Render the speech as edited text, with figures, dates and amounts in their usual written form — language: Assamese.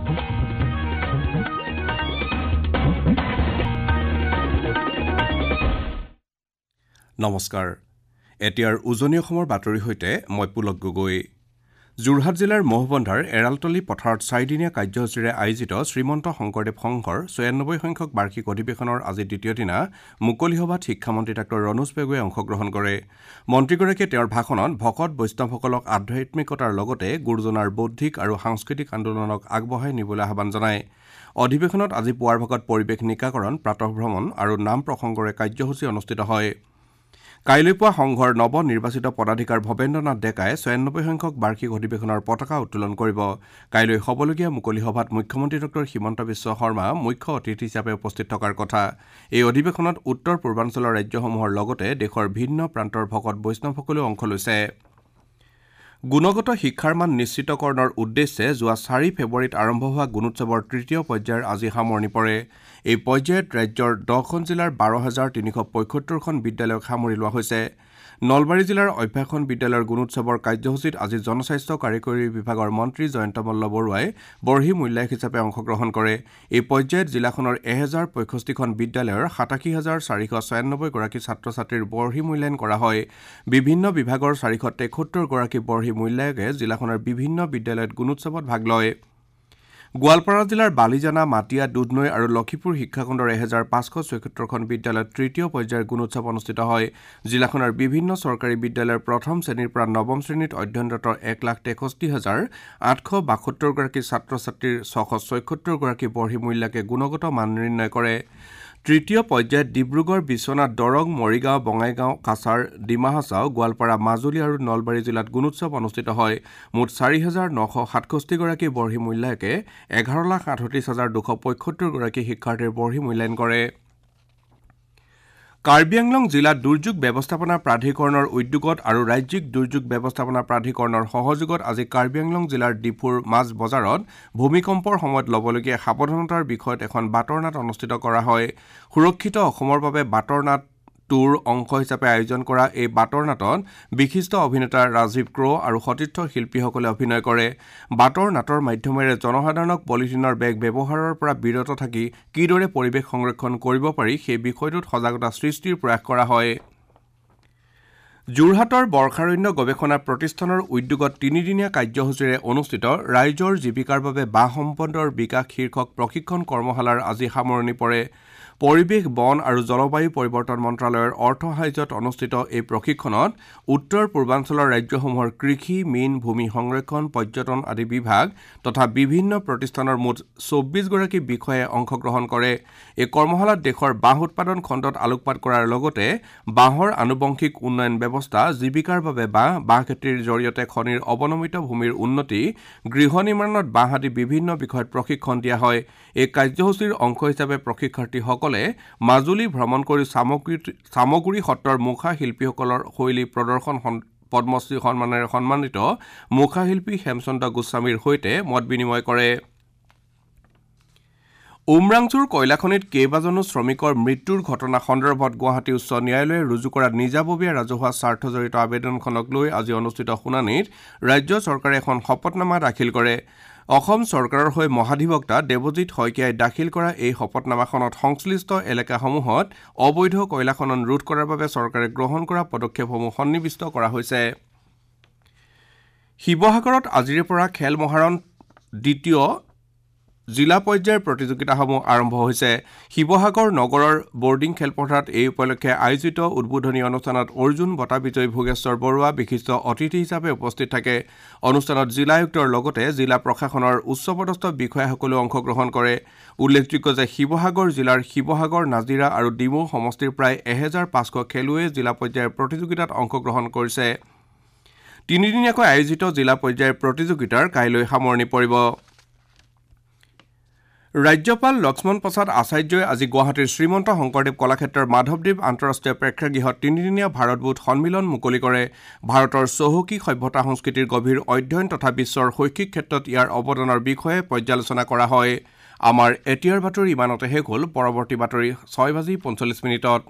নমস্কাৰ, এতিয়াৰ উজনি অসমৰ বাতৰিৰ সৈতে মই পুলক গগৈ। যোৰহাট জিলাৰ মহবন্ধাৰ এৰালতলী পথাৰত চাৰিদিনীয়া কাৰ্যসূচীৰে আয়োজিত শ্ৰীমন্ত শংকৰদেৱ সংঘৰ ৯৬ সংখ্যক বাৰ্ষিক অধিৱেশনৰ আজি দ্বিতীয় দিনা মুকলি সভাত শিক্ষামন্ত্ৰী ডাঃ ৰণোজ পেগুৱে অংশগ্ৰহণ কৰে। মন্ত্ৰীগৰাকীয়ে তেওঁৰ ভাষণত ভকত বৈষ্ণৱসকলক আধ্যাত্মিকতাৰ লগতে গুৰুজনাৰ বৌদ্ধিক আৰু সাংস্কৃতিক আন্দোলনক আগবঢ়াই নিবলৈ আহ্বান জনায়। অধিৱেশনত আজি পুৱাৰ ভাগত পৰিৱেশ নিকাকৰণ, প্ৰাতঃভ্ৰমণ আৰু নাম প্ৰসংগৰে কাৰ্যসূচী অনুষ্ঠিত হয়। কাইলৈ পুৱা সংঘৰ নৱ নিৰ্বাচিত পদাধিকাৰ ভৱেন্দ্ৰ নাথ ডেকাই ৯৬ সংখ্যক বাৰ্ষিক অধিৱেশনৰ পতাকা উত্তোলন কৰিব। কাইলৈ হ'বলগীয়া মুকলি সভাত মুখ্যমন্ত্ৰী ডঃ হিমন্ত বিশ্ব শৰ্মা মুখ্য অতিথি হিচাপে উপস্থিত থকাৰ কথা। এই অধিৱেশনত উত্তৰ পূৰ্বাঞ্চলৰ ৰাজ্যসমূহৰ লগতে দেশৰ ভিন্ন প্ৰান্তৰ ভকত বৈষ্ণৱসকলেও অংশ লৈছে। গুণগত শিক্ষাৰ মান নিশ্চিতকৰণৰ উদ্দেশ্যে যোৱা ৪ ফেব্ৰুৱাৰীত আৰম্ভ হোৱা গুণোৎসৱৰ তৃতীয় পৰ্যায়ৰ আজি সামৰণি পৰে। এই পৰ্যায়ত ৰাজ্যৰ ১০খন জিলাৰ ১২,৩৭৫খন বিদ্যালয়ক সামৰি লোৱা হৈছে। নলবাৰী জিলাৰ অভ্যাসন বিদ্যালয়ৰ গুণোৎসৱৰ কাৰ্যসূচীত আজি জনস্বাস্থ্য কাৰিকৰী বিভাগৰ মন্ত্ৰী জয়ন্ত মল্ল বৰুৱাই বৰ্হি মূল্যায়ক হিচাপে অংশগ্ৰহণ কৰে। এই পৰ্যায়ত জিলাখনৰ ১০৬৫খন বিদ্যালয়ৰ ৮৭,৪৯৬ গৰাকী ছাত্ৰ ছাত্ৰীৰ বৰ্হি মূল্যায়ন কৰা হয়। বিভিন্ন বিভাগৰ ৪৭৩ গৰাকী বৰ্হি মূল্যায়কে জিলাখনৰ বিভিন্ন বিদ্যালয়ত গুণোৎসৱত ভাগ লয়। গোৱালপাৰা জিলাৰ বালিজানা, মাটিয়া, দুধনৈ আৰু লক্ষীপুৰ শিক্ষাখণ্ডৰ ১৫৭৬খন বিদ্যালয়ত তৃতীয় পৰ্যায়ৰ গুণোৎসৱ অনুষ্ঠিত হয়। জিলাখনৰ বিভিন্ন চৰকাৰী বিদ্যালয়ৰ প্ৰথম শ্ৰেণীৰ পৰা নৱম শ্ৰেণীত অধ্যয়নৰত ১,৬৩,৮৭২ গৰাকী ছাত্ৰ ছাত্ৰীৰ ৬৭৬ গৰাকী বৰ্হি মূল্যাকে গুণগত মান নিৰ্ণয় কৰে। তৃতীয় পৰ্যায়ত ডিব্ৰুগড়, বিশ্বনাথ, দৰং, মৰিগাঁও, বঙাইগাঁও, কাছাৰ, ডিমা হাছাও, গোৱালপাৰা, মাজুলী আৰু নলবাৰী জিলাত গুণোৎসৱ অনুষ্ঠিত হয়। মুঠ ৪,৯৬৭ গৰাকী বৰ্হি মূল্যায়কে ১১,৩৮,২৭৫ গৰাকী শিক্ষাৰ্থীৰ বৰ্হি মূল্যায়ন কৰে। কাৰ্বি আংলং জিলা দুৰ্যোগ ব্যৱস্থাপনা প্ৰাধিকৰণৰ উদ্যোগত আৰু ৰাজ্যিক দুৰ্যোগ ব্যৱস্থাপনা প্ৰাধিকৰণৰ সহযোগত আজি কাৰ্বি আংলং জিলাৰ ডিফুৰ মাছ বজাৰত ভূমিকম্পৰ সময়ত ল'বলগীয়া সাৱধানতাৰ বিষয়ত এখন বাটৰ নাট অনুষ্ঠিত কৰা হয়। সুৰক্ষিত অসমৰ বাবে বাটৰ নাট টুৰ অংশ হিচাপে আয়োজন কৰা এই বাটৰ নাটত বিশিষ্ট অভিনেতা ৰাজীৱ ক্ৰ' আৰু সতীৰ্থ শিল্পীসকলে অভিনয় কৰে। বাটৰ নাটৰ মাধ্যমেৰে জনসাধাৰণক পলিথিনৰ বেগ ব্যৱহাৰৰ পৰা বিৰত থাকি কিদৰে পৰিৱেশ সংৰক্ষণ কৰিব পাৰি সেই বিষয়টোত সজাগতা সৃষ্টিৰ প্ৰয়াস কৰা হয়। যোৰহাটৰ বৰ্ষাৰণ্য গৱেষণা প্ৰতিষ্ঠানৰ উদ্যোগত তিনিদিনীয়া কাৰ্যসূচীৰে অনুষ্ঠিত ৰাইজৰ জীৱিকাৰ বাবে বাঁহ সম্পদৰ বিকাশ শীৰ্ষক প্ৰশিক্ষণ কৰ্মশালাৰ আজি সামৰণি পৰে। পৰিৱেশ, বন আৰু জলবায়ু পৰিৱৰ্তন মন্ত্ৰালয়ৰ অৰ্থ সাহায্যত অনুষ্ঠিত এই প্ৰশিক্ষণত উত্তৰ পূৰ্বাঞ্চলৰ ৰাজ্যসমূহৰ কৃষি, মীন, ভূমি সংৰক্ষণ, পৰ্যটন আদি বিভাগ তথা বিভিন্ন প্ৰতিষ্ঠানৰ মুঠ ২৪ গৰাকী বিষয়াই অংশগ্ৰহণ কৰে। এই কৰ্মশালাত দেশৰ বাঁহ উৎপাদন খণ্ডত আলোকপাত কৰাৰ লগতে বাঁহৰ আনুবংশিক উন্নয়ন ব্যৱস্থা, জীৱিকাৰ বাবে বাঁহ, বাঁহ খেতিৰ জৰিয়তে খনিৰ অৱনমিত ভূমিৰ উন্নতি, গৃহ নিৰ্মাণত বাঁহ আদি বিভিন্ন বিষয়ত প্ৰশিক্ষণ দিয়া হয়। এই কাৰ্যসূচীৰ অংশ হিচাপে প্ৰশিক্ষাৰ্থীসকলে মাজুলী ভ্ৰমণ কৰি চামগুৰি সত্ৰৰ মুখা শিল্পীসকলৰ শৈলী প্ৰদৰ্শন পদ্মশ্ৰী সন্মানেৰে সন্মানিত মুখাশিল্পী হেমচন্দ্ৰ গোস্বামীৰ সৈতে মত বিনিময় কৰে। উমৰাংচুৰ কয়লাখনিত কেইবাজনো শ্ৰমিকৰ মৃত্যুৰ ঘটনা সন্দৰ্ভত গুৱাহাটী উচ্চ ন্যায়ালয়ে ৰুজু কৰা নিজাববীয়া ৰাজহুৱা স্বাৰ্থজড়িত আবেদনখনক লৈ আজি অনুষ্ঠিত শুনানিত ৰাজ্য চৰকাৰে এখন শপতনামা দাখিল কৰে। অসম চৰকাৰৰ হৈ মহাধিবক্তা দেৱজিৎ শইকীয়াই দাখিল কৰা এই শপতনামাখনত সংশ্লিষ্ট এলেকাসমূহত অবৈধ কয়লা খনন ৰোধ কৰাৰ বাবে চৰকাৰে গ্ৰহণ কৰা পদক্ষেপসমূহ সন্নিৱিষ্ট কৰা হৈছে। শিৱসাগৰত আজিৰে পৰা খেল মহাৰণ দ্বিতীয় জিলা পৰ্যায়ৰ প্ৰতিযোগিতাসমূহ আৰম্ভ হৈছে। শিৱসাগৰ নগৰৰ বৰ্ডিং খেলপথাৰত এই উপলক্ষে আয়োজিত উদ্বোধনী অনুষ্ঠানত অৰ্জুন বঁটা বিজয়ী ভোগেশ্বৰ বৰুৱা বিশিষ্ট অতিথি হিচাপে উপস্থিত থাকে। অনুষ্ঠানত জিলা আয়ুক্তৰ লগতে জিলা প্ৰশাসনৰ উচ্চপদস্থ বিষয়াসকলেও অংশগ্ৰহণ কৰে। উল্লেখযোগ্য যে শিৱসাগৰ জিলাৰ শিৱসাগৰ, নাজিৰা আৰু ডিমৌ সমষ্টিৰ প্ৰায় ১৫০০ খেলুৱৈয়ে জিলা পৰ্যায়ৰ প্ৰতিযোগিতাত অংশগ্ৰহণ কৰিছে। তিনিদিনীয়াকৈ আয়োজিত জিলা পৰ্যায়ৰ প্ৰতিযোগিতাৰ কাইলৈ সামৰণি পৰিব। ৰাজ্যপাল লক্ষ্মণ প্ৰসাদ আচাৰ্যই আজি গুৱাহাটীৰ শ্ৰীমন্ত শংকৰদেৱ কলাক্ষেত্ৰৰ মাধৱদেৱ আন্তঃৰাষ্ট্ৰীয় প্ৰেক্ষাগৃহত তিনিদিনীয়া ভাৰতবোধ সন্মিলন মুকলি কৰে। ভাৰতৰ চহকী সভ্যতা সংস্কৃতিৰ গভীৰ অধ্যয়ন তথা বিশ্বৰ শৈক্ষিক ক্ষেত্ৰত ইয়াৰ অৱদানৰ বিষয়ে পৰ্যালোচনা কৰা হয়। আমাৰ এতিয়াৰ বাতৰি ইমানতে শেষ হ'ল। পৰৱৰ্তী বাতৰি ৬:৪৫।